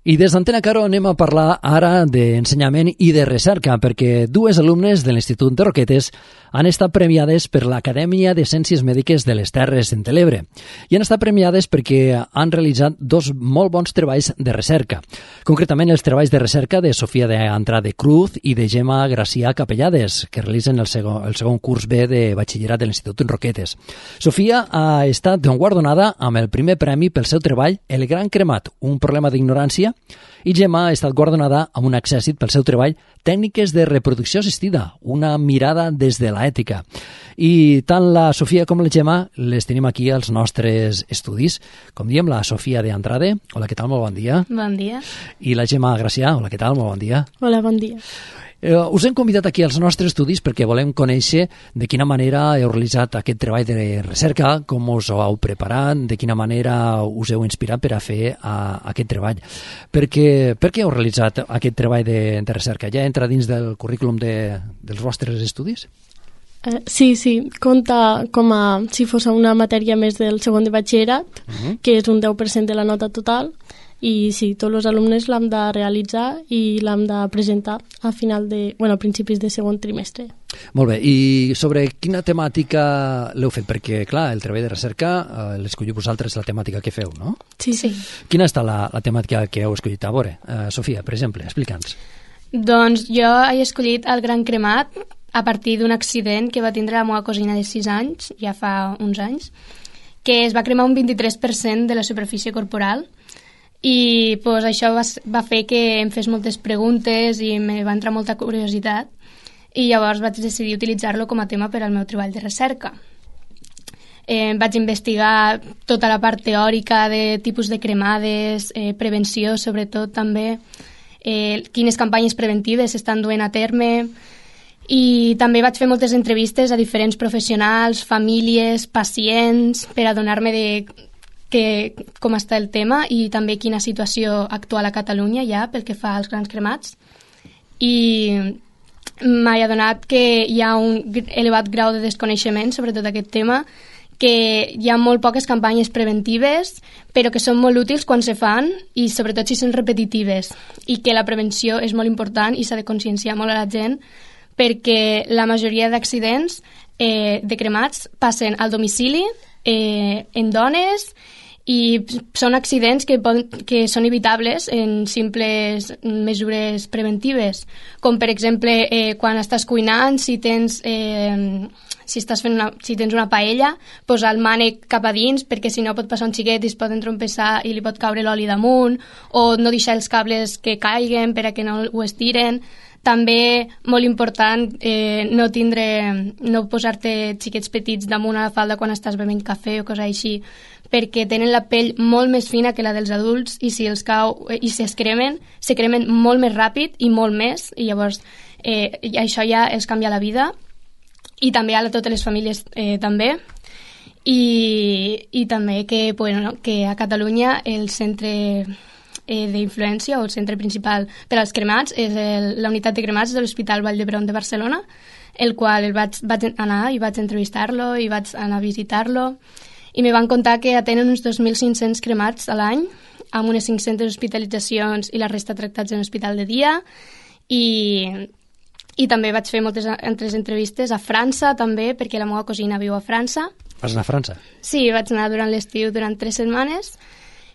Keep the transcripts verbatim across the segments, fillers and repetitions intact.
I des d'Antena Caro anem a parlar ara d'ensenyament i de recerca, perquè dues alumnes de l'Institut de Roquetes han estat premiades per l'Acadèmia de Ciències Mèdiques de les Terres de l'Ebre. I han estat premiades perquè han realitzat dos molt bons treballs de recerca. Concretament, els treballs de recerca de Sofia de Andrade Cruz i de Gemma Gracià Capellades, que realitzen el segon, el segon curs B de batxillerat de l'Institut de Roquetes. Sofia ha estat guardonada amb el primer premi pel seu treball El Gran Cremat, un problema d'ignorància, i Gemma ha estat guardonada amb un accèssit pel seu treball Tècniques de reproducció assistida, una mirada des de l'ètica. I tant la Sofia com la Gemma les tenim aquí als nostres estudis. Com diem, la Sofia de Andrade. Hola, què tal? Molt bon dia. Bon dia. I la Gemma Gracià. Hola, què tal? Molt bon dia. Hola, bon dia. Eh, us hem convidat aquí als nostres estudis perquè volem conèixer de quina manera heu realitzat aquest treball de recerca, com us ho heu preparat, de quina manera us heu inspirat per a fer a, aquest treball. Perquè, per què heu realitzat aquest treball de, de recerca? Ja entra dins del currículum de, dels vostres estudis? Uh, sí, sí, compta com a si fos una matèria més del segon de batxillerat, uh-huh. que és un deu per cent de la nota total, i sí, tots els alumnes l'hem de realitzar i l'hem de presentar a final de, bueno, a principis de segon trimestre. Molt bé, i sobre quina temàtica l'heu fet? Perquè, clar, el treball de recerca eh, l'escolliu vosaltres la temàtica que feu, no? Sí, sí. Quina està la, la temàtica que heu escollit? A veure, eh, Sofia, per exemple, explica'ns. Doncs jo he escollit El Gran Cremat a partir d'un accident que va tindre la meva cosina de sis anys, ja fa uns anys, que es va cremar un vint-i-tres per cent de la superfície corporal. I pues, això va, va fer que em fes moltes preguntes i me va entrar molta curiositat i llavors vaig decidir utilitzar-lo com a tema per al meu treball de recerca. Eh, vaig investigar tota la part teòrica de tipus de cremades, eh, prevenció sobretot també, eh, quines campanyes preventives s'estan duent a terme, i també vaig fer moltes entrevistes a diferents professionals, famílies, pacients, per adonar-me de que, com està el tema i també quina situació actual a Catalunya hi ha pel que fa als grans cremats. I m'he adonat que hi ha un elevat grau de desconeixement sobre tot aquest tema, que hi ha molt poques campanyes preventives, però que són molt útils quan se fan i sobretot si són repetitives, i que la prevenció és molt important i s'ha de conscienciar molt a la gent, perquè la majoria d'accidents eh, de cremats passen al domicili, eh, en dones, i són accidents que, poden, que són evitables en simples mesures preventives, com per exemple eh, quan estàs cuinant, si tens, eh, si estàs fent una, si tens una paella, posar el mànec cap a dins, perquè si no pot passar un xiquet i es pot entrompessar i li pot caure l'oli damunt, o no deixar els cables que caiguen per a que no ho estiren. També, molt important, eh, no tindre, no posar-te xiquets petits damunt a la falda quan estàs bevent cafè o cosa així, perquè tenen la pell molt més fina que la dels adults i si els cau i si es cremen, se cremen molt més ràpid i molt més, i llavors eh, això ja els canvia la vida, i també a totes les famílies eh, també. I, i també que, bueno, que a Catalunya el centre eh, d'influència o el centre principal per als cremats és el, la unitat de cremats de l'Hospital Vall d'Hebron de Barcelona, el qual el vaig, vaig anar i vaig entrevistar-lo i vaig anar a visitar-lo, i me van contar que atenen uns dos mil cinc-cents cremats a l'any, amb unes cinc-centes hospitalitzacions i la resta tractats en hospital de dia, i, i també vaig fer moltes altres entrevistes a França també, perquè la meva cosina viu a França. Vas anar a França? Sí, vaig anar durant l'estiu durant tres setmanes,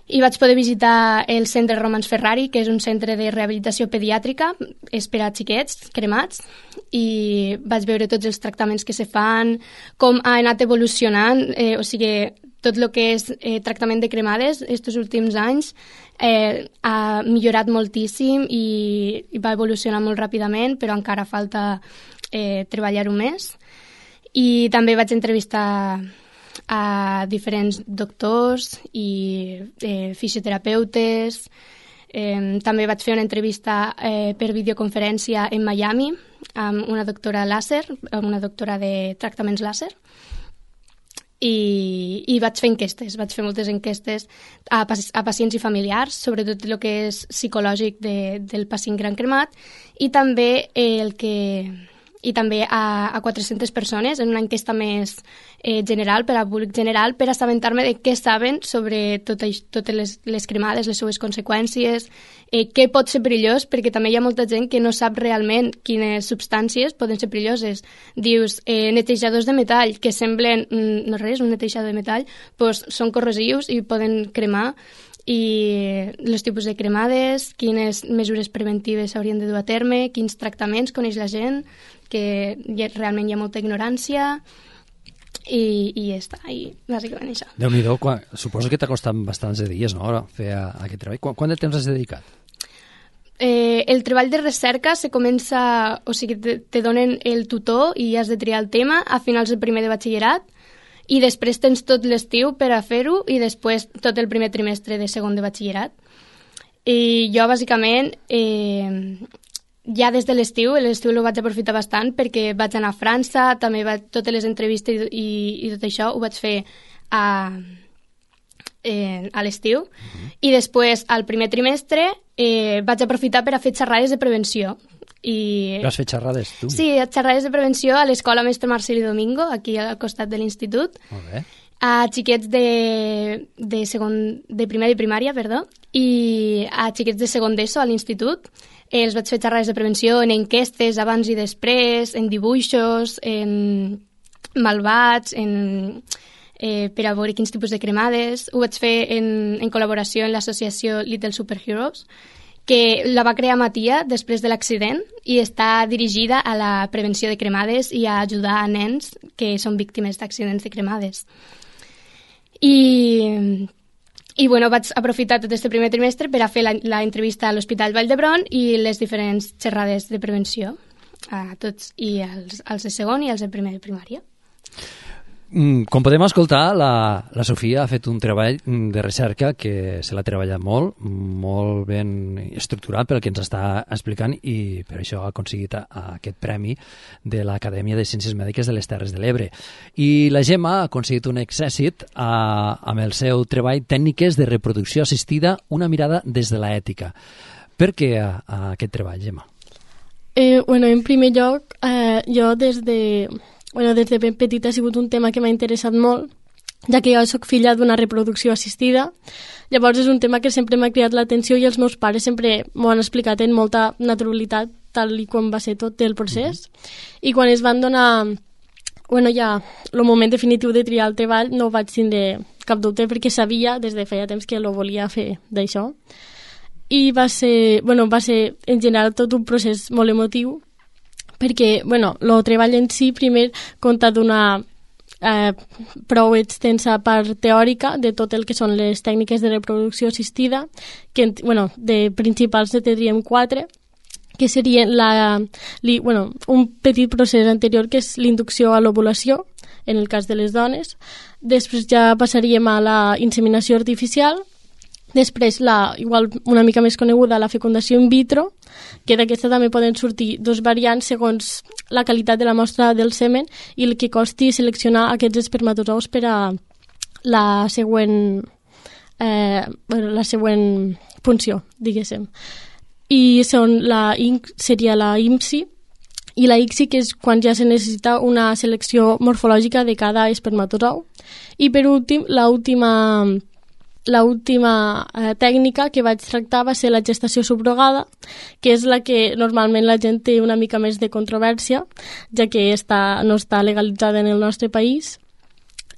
i vaig poder visitar el centre Romans Ferrari, que és un centre de rehabilitació pediàtrica, és per a xiquets cremats, i vaig veure tots els tractaments que se fan, com ha anat evolucionant, eh, o sigui, tot el que és eh, tractament de cremades aquests últims anys eh, ha millorat moltíssim i, i va evolucionar molt ràpidament, però encara falta eh, treballar-ho més. I també vaig entrevistar a diferents doctors i eh, fisioterapeutes. Eh, també vaig fer una entrevista eh, per videoconferència en Miami amb una doctora làser, amb una doctora de tractaments làser, i, i vaig fer enquestes, vaig fer moltes enquestes a, a pacients i familiars, sobretot el que és psicològic de, del pacient gran cremat, i també el que i també a, a quatre-centes persones en una enquesta més eh, general, per a públic general, per assabentar-me de què saben sobre tot, totes les, les cremades, les seues conseqüències, eh, què pot ser perillós, perquè també hi ha molta gent que no sap realment quines substàncies poden ser perilloses. Dius, eh, netejadors de metall, que semblen, mm, no res, un netejador de metall, doncs són corrosius i poden cremar, i els tipus de cremades, quines mesures preventives s'haurien de dur a terme, quins tractaments coneix la gent, que hi ha, realment hi ha molta ignorància, i, i ja està, i bàsicament això. Déu-n'hi-do, quan, suposo que t'ha costat bastants de dies, no?, fer a, a aquest treball. Quant, quant de temps has dedicat? Eh, el treball de recerca se comença, o sigui, te, te donen el tutor i has de triar el tema a finals del primer de batxillerat, i després tens tot l'estiu per a fer-ho i després tot el primer trimestre de segon de batxillerat. I jo, bàsicament, eh, ja des de l'estiu, l'estiu el vaig aprofitar bastant perquè vaig anar a França, també vaig, totes les entrevistes i, i tot això ho vaig fer a, eh, a l'estiu. Uh-huh. I després, al primer trimestre, eh, vaig aprofitar per a fer xerrades de prevenció. I... Has fet xerrades, tu? Sí, xerrades de prevenció a l'escola Mestre Marcelí Domingo, aquí al costat de l'institut. Molt bé. A xiquets de, de, segon, de primària i primària, perdó, i a xiquets de segon d'ESO a l'institut. Eh, els vaig fer xerrades de prevenció en enquestes abans i després, en dibuixos, en malvats, en, eh, per a veure quins tipus de cremades. Ho vaig fer en, en col·laboració amb l'associació Little Superheroes, que la va crear Matia després de l'accident i està dirigida a la prevenció de cremades i a ajudar a nens que són víctimes d'accidents de cremades. I, i bueno, vaig aprofitar tot este primer trimestre per a fer la, la entrevista a l'Hospital Vall d'Hebron i les diferents xerrades de prevenció a tots, i als, als de segon i als de primer de primària. Com podem escoltar, la, la Sofia ha fet un treball de recerca que se l'ha treballat molt, molt ben estructurat pel que ens està explicant, i per això ha aconseguit aquest premi de l'Acadèmia de Ciències Mèdiques de les Terres de l'Ebre. I la Gemma ha aconseguit un èxit a, amb el seu treball Tècniques de reproducció assistida, una mirada des de l'ètica. Per què a, a aquest treball, Gemma? Eh, bueno, en primer lloc, eh, jo des de... Bueno, des de ben petita ha sigut un tema que m'ha interessat molt, ja que jo soc filla d'una reproducció assistida. Llavors és un tema que sempre m'ha cridat l'atenció i els meus pares sempre m'ho han explicat en molta naturalitat, tal i com va ser tot el procés. Mm-hmm. I quan es van donar, bueno, ja el moment definitiu de triar el treball, no vaig tindre cap dubte perquè sabia des de feia temps que lo volia fer d'això. I va ser, bueno, va ser en general tot un procés molt emotiu, perquè, bueno, el treball en si primer compta d'una eh, prou extensa part teòrica de tot el que són les tècniques de reproducció assistida, que, bueno, de principals ne tindríem quatre, que serien la, li, bueno, un petit procés anterior que és l'inducció a l'ovulació, en el cas de les dones. Després ja passaríem a la inseminació artificial. Després, la, igual una mica més coneguda, la fecundació in vitro, que d'aquesta també poden sortir dos variants segons la qualitat de la mostra del semen i el que costi seleccionar aquests espermatozous per a la següent, eh, bueno, la següent funció, diguéssim. I són la, seria la I M S I i la I C S I, que és quan ja se necessita una selecció morfològica de cada espermatozou. I per últim, l'última... L'última eh, tècnica que vaig tractar va ser la gestació subrogada, que és la que normalment la gent té una mica més de controvèrsia, ja que està, no està legalitzada en el nostre país.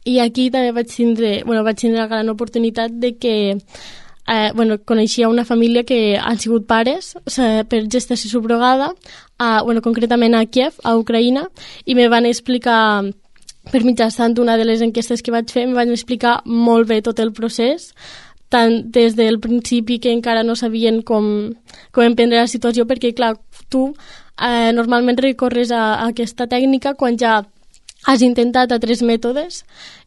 I aquí també vaig tindre, bueno, vaig tindre la gran oportunitat de que eh, bueno, coneixia una família que han sigut pares o sigui, per gestació subrogada, a, bueno, concretament a Kiev, a Ucraïna, i me van explicar... Per mitjançant d'una de les enquestes que vaig fer, em van explicar molt bé tot el procés, tant des del principi que encara no sabien com, com emprendre la situació, perquè, clar, tu eh, normalment recorres a, a aquesta tècnica quan ja has intentat a tres mètodes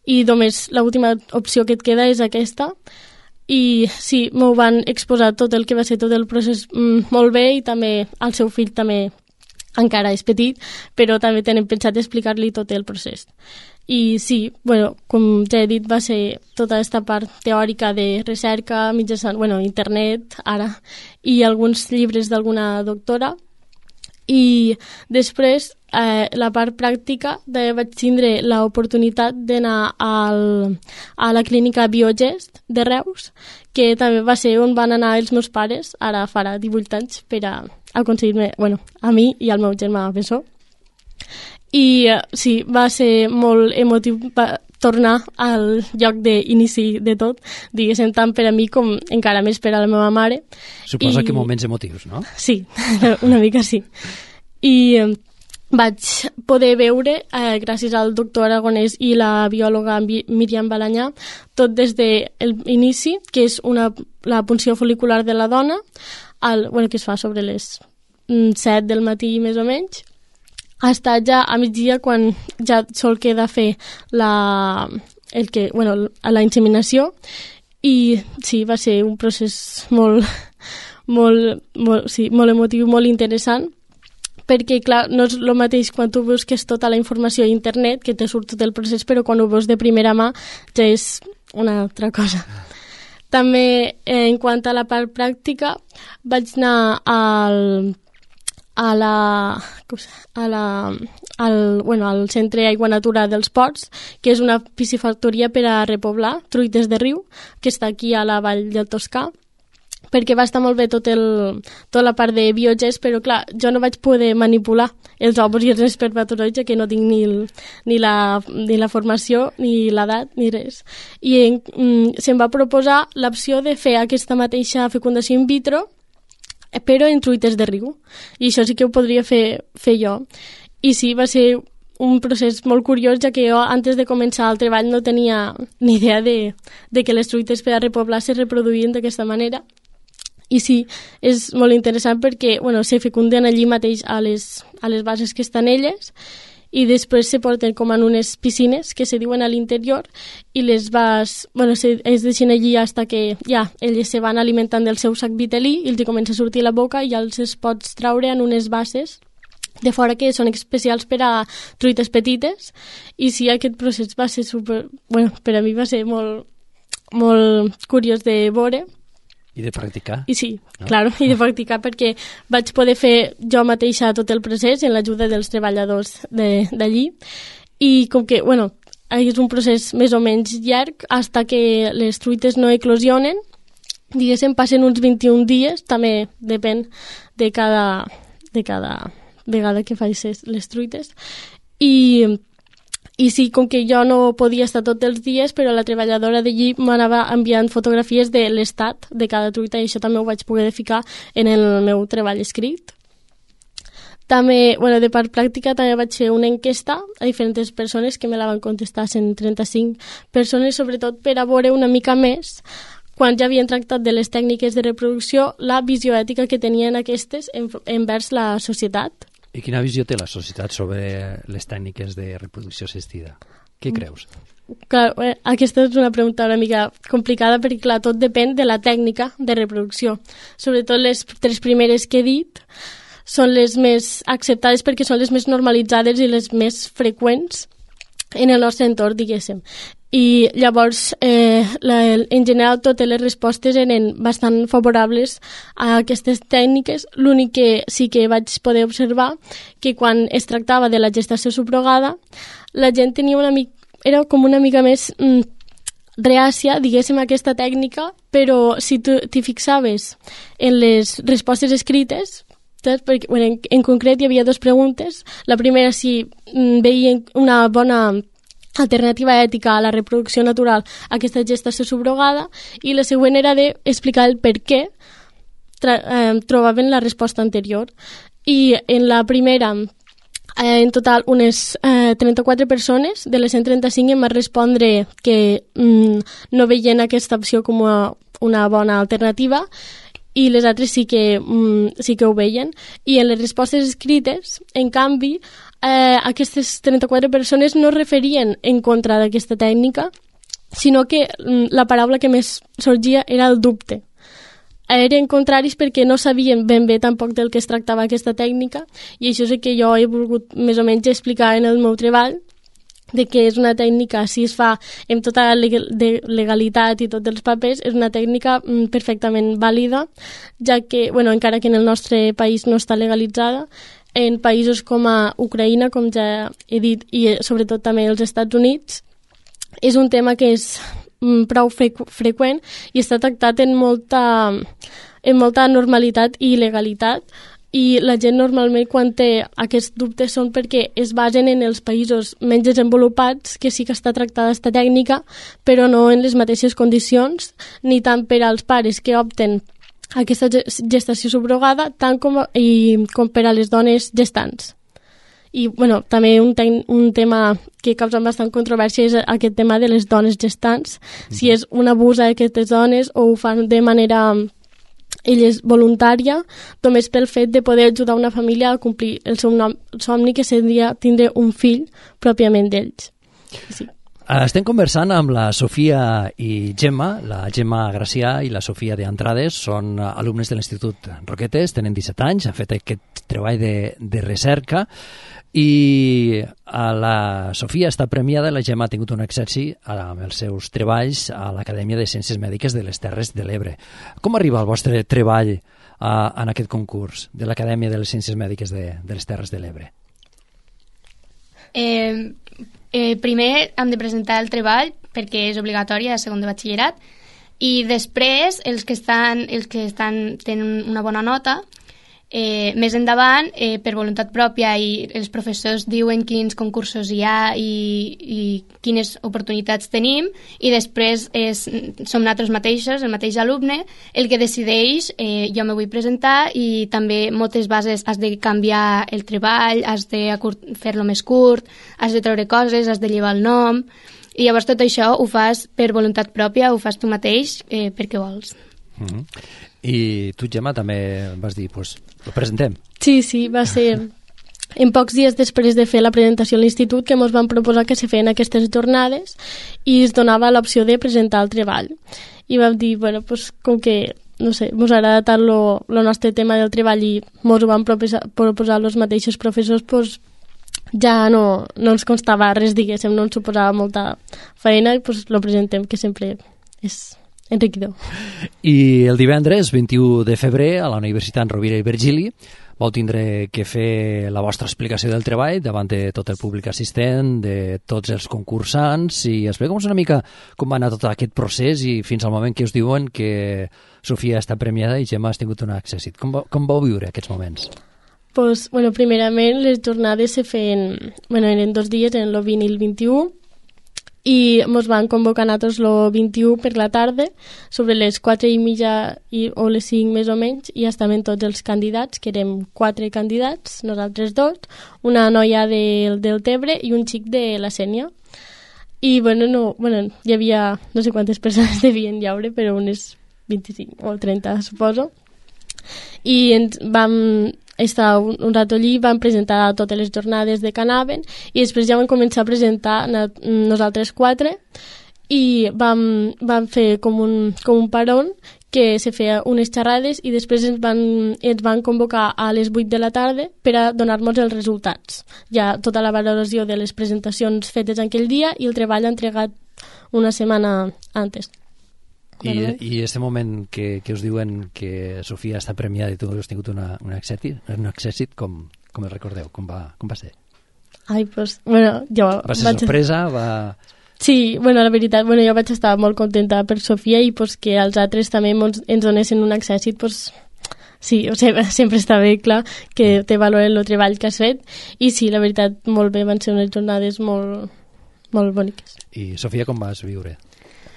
i només l'última opció que et queda és aquesta. I sí, m'ho van exposar tot el que va ser tot el procés mm, molt bé, i també el seu fill també encara és petit, però també tenen pensat explicar-li tot el procés. I sí, bueno, com ja he dit, va ser tota aquesta part teòrica de recerca mitjançant, bueno, internet, ara, i alguns llibres d'alguna doctora. I després, eh, la part pràctica, de, vaig tindre l'oportunitat d'anar al, a la clínica Biogest de Reus, que també va ser on van anar els meus pares, ara farà divuit anys, per a aconseguir-me, bueno, a mi i al meu germà Bessó. I eh, sí, va ser molt emotiu va tornar al lloc d'inici de tot, diguéssim, tant per a mi com encara més per a la meva mare. Suposa I... que moments emotius, no? Sí, una mica sí. I eh, vaig poder veure, eh, gràcies al doctor Aragonès i la biòloga Míriam Balanyà, tot des de l'inici, que és una, la punció fol·licular de la dona, al, bueno, que es fa sobre les set del matí més o menys, ha estat ja a migdia quan ja sol queda fer la, el que, bueno, la inseminació, i sí, va ser un procés molt, molt, molt, sí, molt emotiu, molt interessant, perquè, clar, no és el mateix quan tu busques tota la informació a internet, que te surt tot el procés, però quan ho veus de primera mà ja és una altra cosa. També, eh, en quant a la part pràctica, vaig anar al a la, a la, al, bueno, al Centre Aigua Natura dels Ports, que és una piscifactoria per a repoblar truites de riu, que està aquí a la vall del Toscà, perquè va estar molt bé tot el, tota la part de biogest, però clar, jo no vaig poder manipular els òvuls i els espermatozoides, que no tinc ni, el, ni, la, ni la formació, ni l'edat, ni res. I en, mm, se'm va proposar l'opció de fer aquesta mateixa fecundació in vitro, però en truites de riu. I això sí que ho podria fer, fer jo. I sí, va ser un procés molt curiós, ja que jo, antes de començar el treball, no tenia ni idea de, de que les truites per a repoblar se reproduïen d'aquesta manera. I sí, és molt interessant perquè, bueno, se fecunden allí mateix a les, a les bases que estan elles, i després se porten com en unes piscines que se diuen a l'interior i les vas, bueno, se, es deixen allí hasta que ja elles se van alimentant del seu sac vitel·lí i els comença a sortir la boca i ja els es pots traure en unes bases de fora que són especials per a truites petites. I sí, aquest procés va ser super... Bueno, per a mi va ser molt, molt curiós de veure. I de practicar. I sí, no? Claro, i de practicar perquè vaig poder fer jo mateixa tot el procés en l'ajuda dels treballadors d'allí. I com que, bueno, és un procés més o menys llarg, fins que les truites no eclosionen, diguéssim, passen uns vint-i-un dies, també depèn de cada, de cada vegada que facis les truites. I... I sí, com que jo no podia estar tots els dies, però la treballadora d'allí m'anava enviant fotografies de l'estat de cada truita i això també ho vaig poder ficar en el meu treball escrit. També, bueno, de part pràctica, també vaig fer una enquesta a diferents persones que me la van contestar cent trenta-cinc persones, sobretot per a veure una mica més, quan ja havien tractat de les tècniques de reproducció, la visió ètica que tenien aquestes envers la societat. I quina visió té la societat sobre les tècniques de reproducció assistida? Què creus? Clar, aquesta és una pregunta una mica complicada perquè, clar, tot depèn de la tècnica de reproducció. Sobretot les tres primeres que he dit són les més acceptades perquè són les més normalitzades i les més freqüents en el nostre entorn, diguéssim. I llavors, eh, la, en general, totes les respostes eren bastant favorables a aquestes tècniques. L'únic que sí que vaig poder observar que quan es tractava de la gestació subrogada, la gent tenia una mica, era com una mica més mm, reàcia, diguéssim, a aquesta tècnica, però si tu t'hi fixaves en les respostes escrites, saps? Perquè, bueno, en, en concret hi havia dues preguntes. La primera, si mm, veien una bona alternativa ètica a la reproducció natural a aquesta gestació subrogada, i la següent era d'explicar el per què eh, trobaven la resposta anterior. I en la primera, eh, en total, unes eh, trenta-quatre persones de les cent trenta-cinc em van respondre que mm, no veien aquesta opció com a una bona alternativa, i les altres sí que, mm, sí que ho veien. I en les respostes escrites, en canvi, eh, aquestes trenta-quatre persones no referien en contra d'aquesta tècnica, sinó que mm, la paraula que més sorgia era el dubte. Eren contraris perquè no sabien ben bé tampoc del que es tractava aquesta tècnica, i això és el que jo he volgut més o menys explicar en el meu treball, de que és una tècnica, si es fa amb tota la legalitat i tots els papers, és una tècnica perfectament vàlida, ja que, bueno, encara que en el nostre país no està legalitzada, en països com a Ucraïna, com ja he dit, i sobretot també els Estats Units, és un tema que és prou frequ freqüent i està tractat en molta, en molta normalitat i legalitat, i la gent normalment quan té aquests dubtes són perquè es basen en els països menys desenvolupats, que sí que està tractada aquesta tècnica, però no en les mateixes condicions, ni tant per als pares que opten aquesta gestació subrogada, tant com, i, com per a les dones gestants. I bueno, també un, un tema que causa bastant controvèrsia és aquest tema de les dones gestants, mm-hmm. si és un abús a aquestes dones o ho fan de manera elles voluntària, només pel fet de poder ajudar una família a complir el seu nom, somni, que seria tindre un fill pròpiament d'ells. Sí. Estem conversant amb la Sofia i Gemma. La Gemma Gracià i la Sofia de Andrades són alumnes de l'Institut Roquetes, tenen disset anys, han fet aquest treball de, de recerca, i la Sofia està premiada, la Gemma ha tingut un èxit amb els seus treballs a l'Acadèmia de Ciències Mèdiques de les Terres de l'Ebre. Com arriba el vostre treball a, en aquest concurs de l'Acadèmia de les Ciències Mèdiques de, de les Terres de l'Ebre? Eh, eh, primer hem de presentar el treball perquè és obligatori a segon de batxillerat, i després els que estan, els que estan tenen una bona nota, Eh, més endavant, eh, per voluntat pròpia, i els professors diuen quins concursos hi ha i, i quines oportunitats tenim, i després és, som nosaltres mateixos, el mateix alumne, el que decideix, eh, jo me vull presentar, i també moltes bases has de canviar el treball, has de fer-lo més curt, has de treure coses, has de llevar el nom, i llavors tot això ho fas per voluntat pròpia, ho fas tu mateix eh, perquè vols. Mm-hmm. I tu, Gemma, també vas dir, doncs, pues, ho presentem. Sí, sí, va ser en pocs dies després de fer la presentació a l'institut que ens van proposar que se feien aquestes jornades i es donava l'opció de presentar el treball. I vam dir, bueno, pues, com que, no sé, ens agrada tant el nostre tema del treball i ens ho van proposar, proposar els mateixos professors, pues, ja no, no ens constava res, diguéssim, no ens suposava molta feina, i pues, lo presentem, que sempre és enriquidor. I el divendres, vint-i-u de febrer, a la Universitat Rovira i Virgili, vau tindre que fer la vostra explicació del treball davant de tot el públic assistent, de tots els concursants, i explica'ns una mica com va anar tot aquest procés i fins al moment que us diuen que Sofia està premiada i Gemma has tingut un èxit. Com, va, com vau viure aquests moments? Pues, bueno, primerament les jornades se feien, bueno, eren dos dies, en el vint i el vint-i-u, i ens van convocar a nosaltres el vint-i-u per la tarda, sobre les quatre i mitja i, o les cinc més o menys, i estaven tots els candidats, que érem quatre candidats, nosaltres dos, una noia de, del Tebre i un xic de la Sénia. I bueno, no, bueno, hi havia no sé quantes persones devien llaure, però unes vint-i-cinc o trenta, suposo. I ens vam estar un, un rato allí, vam presentar totes les jornades de que anaven, i després ja vam començar a presentar nosaltres quatre, i vam, vam fer com un, com un paron que se feia unes xerrades, i després ens van, ens van convocar a les vuit de la tarda per a donar-nos els resultats. Ja tota la valoració de les presentacions fetes aquell dia i el treball entregat una setmana antes. I, i este moment que, que us diuen que Sofia està premiada i tu has tingut una, un èxit, un èxit com, com el recordeu? Com va, com va ser? Ai, pues, bueno, jo... Va ser vaig... sorpresa? Va... Sí, bueno, la veritat, bueno, jo vaig estar molt contenta per Sofia, i pues, que els altres també ens, ens donessin un èxit, pues, sí, o sigui, sempre està bé, clar, que te valoren el treball que has fet, i sí, la veritat, molt bé, van ser unes jornades molt, molt boniques. I Sofia, com vas viure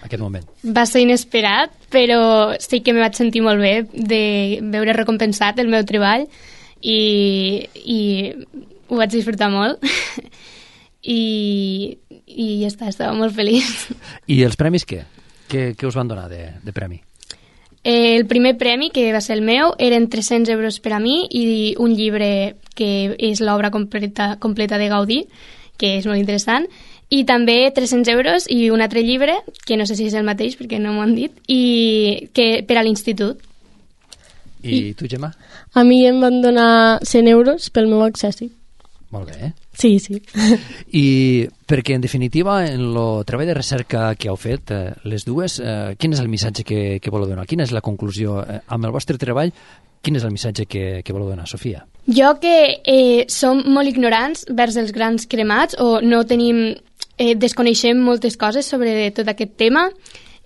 aquest moment? Va ser inesperat, però sí que me vaig sentir molt bé de veure recompensat el meu treball, i, i ho vaig disfrutar molt i, i ja està, estava molt feliç. I els premis què? Què, què us van donar de, de premi? Eh, el primer premi, que va ser el meu, eren tres-cents euros per a mi i un llibre que és l'obra completa, completa de Gaudí, que és molt interessant, i també tres-cents euros i un altre llibre, que no sé si és el mateix perquè no m'ho han dit, i que per a l'institut. I, I tu, Gemma? A mi em van donar cent euros pel meu accessi. Molt bé, eh? Sí, sí. I perquè, en definitiva, en el treball de recerca que heu fet, eh, les dues, eh, quin és el missatge que, que voleu donar? Quina és la conclusió? Eh, amb el vostre treball, quin és el missatge que, que voleu donar, Sofia? Jo que eh, som molt ignorants vers els grans cremats o no tenim, eh, desconeixem moltes coses sobre tot aquest tema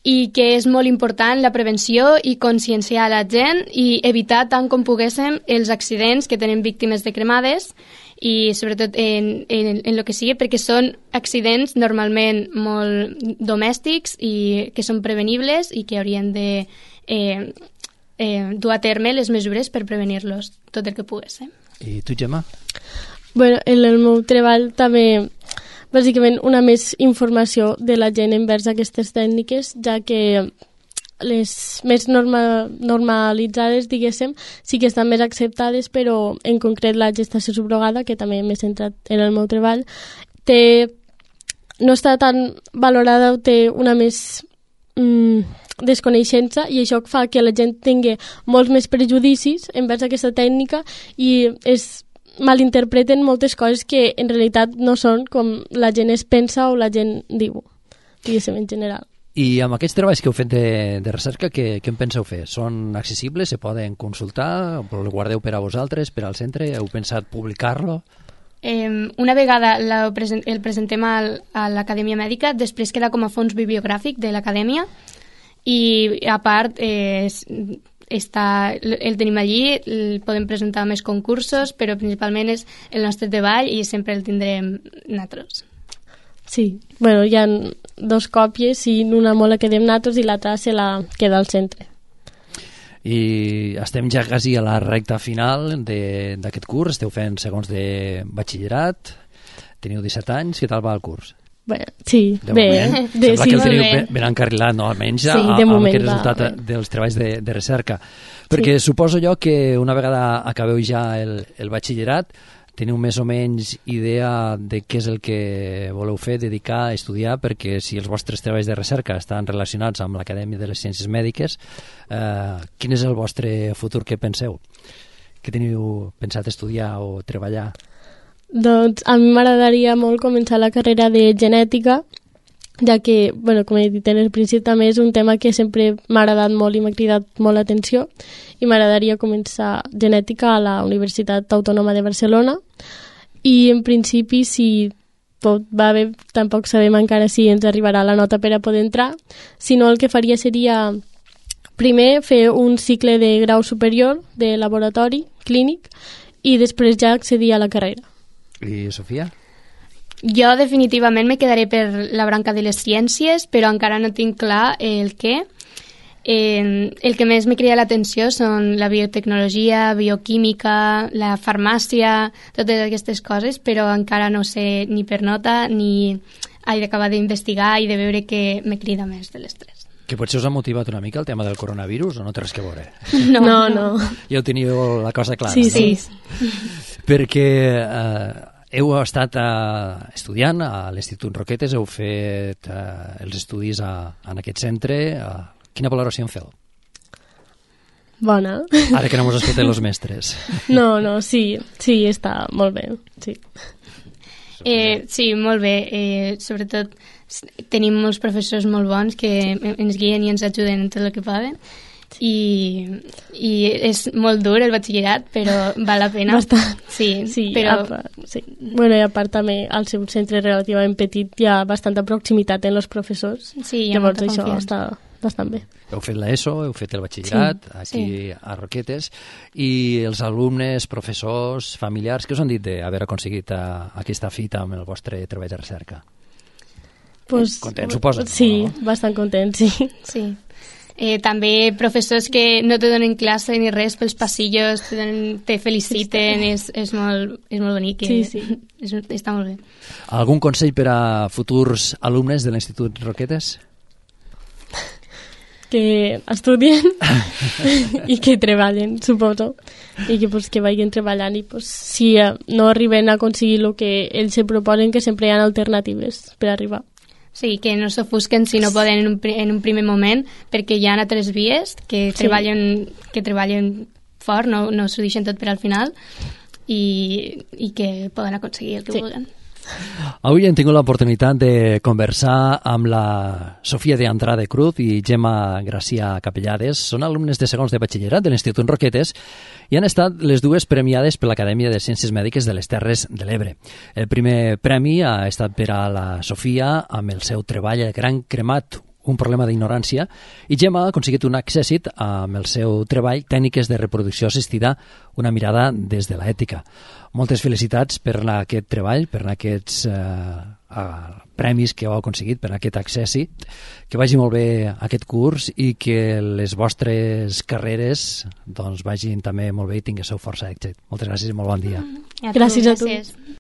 i que és molt important la prevenció i conscienciar la gent i evitar tant com poguéssim els accidents que tenen víctimes de cremades i sobretot en, en, en el que sigui, perquè són accidents normalment molt domèstics i que són prevenibles i que haurien de eh, eh, dur a terme les mesures per prevenir-los tot el que poguéssim. I tu, Gemma? Bueno, en el meu treball també bàsicament una més informació de la gent envers aquestes tècniques, ja que les més norma, normalitzades, diguéssim, sí que estan més acceptades, però en concret la gestació subrogada, que també m'he centrat en el meu treball, té, no està tan valorada o té una més mm, desconeixença i això fa que la gent tingui molts més prejudicis envers aquesta tècnica i es malinterpreten moltes coses que en realitat no són com la gent es pensa o la gent diu, diguéssim, en general. I amb aquests treballs que heu fet de, de recerca, què, què en penseu fer? Són accessibles? Se poden consultar? El guardeu per a vosaltres, per al centre? Heu pensat publicar-lo? Eh, una vegada la, el presentem al, a l'Acadèmia Mèdica, després queda com a fons bibliogràfic de l'Acadèmia i a part eh, està, el tenim allí, el podem presentar més concursos, però principalment és el nostre treball i sempre el tindrem nosaltres. Sí, bueno, hi ha dos còpies i una molt la quedem nosaltres i l'altra se la queda al centre. I estem ja quasi a la recta final d'aquest curs, esteu fent segons de batxillerat, teniu disset anys, què tal va el curs? Bé, sí, de bé. Moment, de, sembla sí, que el teniu bé. ben, ben encarrilat, no? Almenys sí, a, de amb moment aquest resultat va, dels treballs de, de recerca. Perquè sí. Suposo jo que una vegada acabeu ja el, el batxillerat, teniu més o menys idea de què és el que voleu fer, dedicar, estudiar, perquè si els vostres treballs de recerca estan relacionats amb l'Acadèmia de les Ciències Mèdiques, eh, quin és el vostre futur que penseu? Què teniu pensat estudiar o treballar? Doncs a mi m'agradaria molt començar la carrera de genètica, ja que, bueno, com he dit en el principi, també és un tema que sempre m'ha agradat molt i m'ha cridat molt l'atenció i m'agradaria començar genètica a la Universitat Autònoma de Barcelona i en principi si tot va bé, tampoc sabem encara si ens arribarà la nota per a poder entrar, sinó el que faria seria primer fer un cicle de grau superior de laboratori clínic i després ja accedir a la carrera. I Sofia? Jo definitivament me quedaré per la branca de les ciències, però encara no tinc clar el què. Eh, el que més me crida l'atenció són la biotecnologia, bioquímica, la farmàcia, totes aquestes coses, però encara no sé ni per nota ni he d'acabar d'investigar i de veure què me crida més de les tres. Que potser us ha motivat una mica el tema del coronavirus o no té res que veure? No, no. no. Ja heu teniu la cosa clara, sí, no? Sí, Perquè eh, heu estat eh, estudiant a l'Institut Roquetes, heu fet eh, els estudis a, en aquest centre. Eh, quina valoració en feu? Bona. Ara que no mos escolten els mestres. No, no, sí, sí, està molt bé, sí. Eh, sí, molt bé. Eh, sobretot tenim molts professors molt bons que ens guien i ens ajuden en tot el que poden. I, i és molt dur el batxillerat, però val la pena. Bastant. Sí, sí, però... part, sí. Bueno, i a part també al seu centre relativament petit hi ha bastanta proximitat en els professors. Sí, hi ha llavors molta això confiança. està bastant bé. Heu fet l'ESO, heu fet el batxillerat, sí, aquí sí. a Roquetes, i els alumnes, professors, familiars, què us han dit d'haver aconseguit a, aquesta fita amb el vostre treball de recerca? Pues, contents, suposo? Sí, no? bastant contents, sí. Sí. Eh, també professors que no te donen classe ni res pels passillos, te, donen, te feliciten, és, és, molt, és molt bonic. Sí, sí. És, està molt bé. Algun consell per a futurs alumnes de l'Institut Roquetes? Que estudien i que treballen, suposo, i que, pues, que vagin treballant i pues, si no arriben a aconseguir el que ells se proposen, que sempre hi ha alternatives per arribar. Sí, que no s'ofusquen si no poden en un, en un primer moment, perquè hi ha altres vies que sí. treballen, que treballen fort, no, no s'ho deixen tot per al final, i, i que poden aconseguir el que sí. vulguin. Avui hem tingut l'oportunitat de conversar amb la Sofia de Andrade Cruz i Gemma Gracia Capellades. Són alumnes de segons de batxillerat de l'Institut Roquetes i han estat les dues premiades per l'Acadèmia de Ciències Mèdiques de les Terres de l'Ebre. El primer premi ha estat per a la Sofia amb el seu treball El Gran Cremat, un problema d'ignorància, i Gemma ha aconseguit un accèssit amb el seu treball Tècniques de reproducció assistida, una mirada des de l'ètica. Moltes felicitats per aquest treball, per aquests eh, eh, premis que heu aconseguit, per aquest accèssit. Que vagi molt bé aquest curs i que les vostres carreres doncs, vagin també molt bé i tinguéssiu força èxit. Moltes gràcies i molt bon dia. A tu, Gràcies a tu. gràcies.